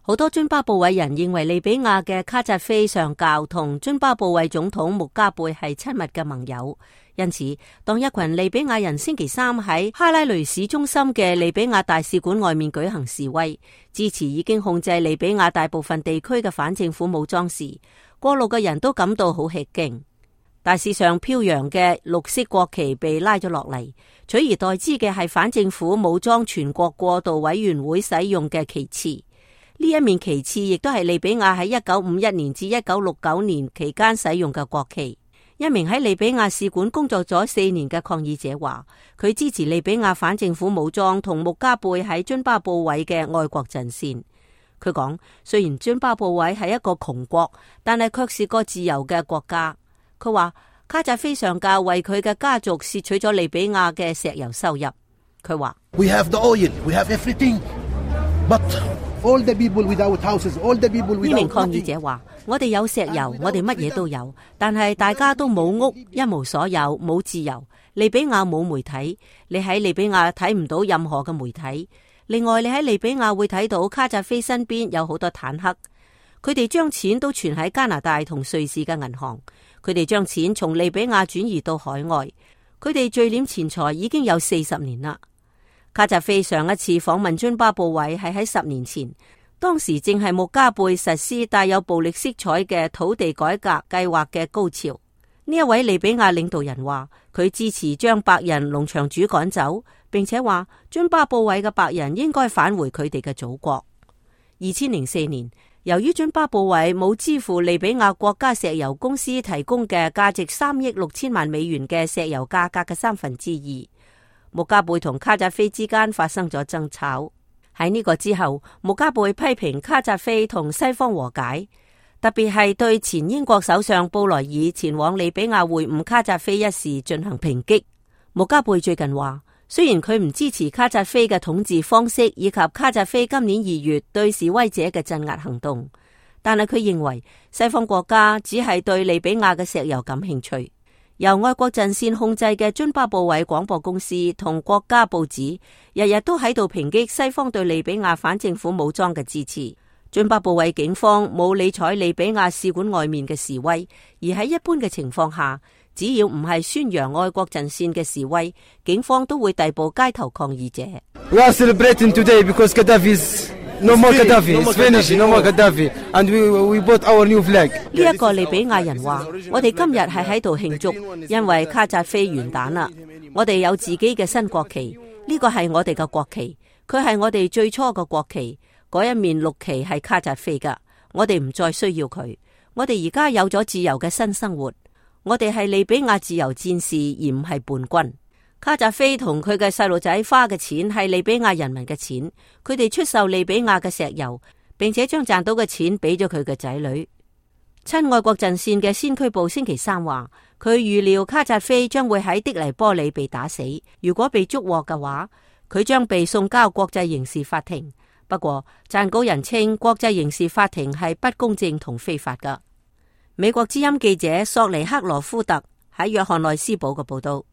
好多津巴布韋人認為利比亞嘅卡扎菲上校同津巴布韋總統穆加貝係親密嘅盟友，因此當一群利比亞人星期三喺哈拉雷市中心嘅利比亞大使館外面舉行示威，支持已經控制利比亞大部分地區嘅反政府武裝時，過路嘅人都感到好吃驚。大使上飄揚嘅綠色國旗被拉咗落嚟，取而代之嘅係反政府武裝全國過渡委員會使用嘅旗幟。呢一面旗幟亦都係利比亞喺1951年至1969年期間使用嘅國旗。一名喺利比亞使館工作咗4年嘅抗議者話，佢支持利比亞反政府武裝同穆加貝喺津巴布韋嘅愛國陣線。佢講，雖然津巴布韋係一個窮國，但係卻是個自由嘅國家。佢話卡扎菲上校為佢嘅家族竊取咗利比亞嘅石油收入。佢話 We have the oil, we have everything, but all the people without houses, all the people without。 呢名抗議者話，我哋有石油，我哋乜嘢都有，但係大家都冇屋，一無所有，冇自由。利比亞冇媒體，你喺利比亞睇唔到任何嘅媒體。另外，你喺利比亞會睇到卡扎菲身邊有好多坦克，佢哋將錢都存喺加拿大同瑞士嘅銀行。佢哋將錢從利比亞轉移到海外，佢哋聚斂錢財已經有40年啦。卡扎菲上一次訪問津巴布韋係喺10年前，當時正係穆加貝實施帶有暴力色彩嘅土地改革計劃嘅高潮。呢一位利比亞領導人話，佢支持將白人農場主趕走，並且話津巴布韋嘅白人應該返回佢哋嘅祖國。2004年，由於津巴布韋冇支付利比亞國家石油公司提供嘅價值3億6千萬美元嘅石油價格嘅2/3，穆加貝同卡扎菲之間發生咗爭吵。喺呢個之後，穆加貝批評卡扎菲同西方和解，特別係對前英國首相布萊爾前往利比亞會晤卡扎菲一事進行抨擊。穆加貝最近話，雖然佢唔支持卡扎菲嘅統治方式以及卡扎菲今年2月對示威者嘅鎮壓行動，但係佢認為西方國家只係對利比亞嘅石油感興趣。由愛國陣線控制嘅津巴布韋廣播公司同國家報紙日日都喺度抨擊西方對利比亞反政府武裝嘅支持。津巴布韋警方冇理睬利比亞使館外面嘅示威，而喺一般嘅情況下，只要唔係宣揚愛國陣線嘅示威，警方都會逮捕街頭抗議者。We are celebrating today because Gaddafi's no more Gaddafi, it's finished, no more Gaddafi, and we bought our new flag。 呢一個利比亞人話，我哋今日係喺度慶祝，因為卡扎菲完蛋啦。我哋有自己嘅新國旗，呢個係我哋嘅國旗，佢係我哋最初嘅國旗。嗰一面綠旗係卡扎菲噶，我哋唔再需要佢。我哋而家有咗自由嘅新生活，我哋係利比亞自由戰士，而唔係叛軍。卡扎菲同佢嘅細路仔花嘅錢係利比亞人民嘅錢，佢哋出售利比亞嘅石油，並且將賺到嘅錢俾咗佢嘅仔女。親愛國陣線嘅先驅部星期三話，佢預料卡扎菲將會喺的黎波里被打死，如果被捉獲嘅話，佢將被送交國際刑事法庭。不過，撰稿人稱國際刑事法庭係不公正同非法㗎。美國之音記者索尼克羅夫特喺約翰內斯堡嘅報道。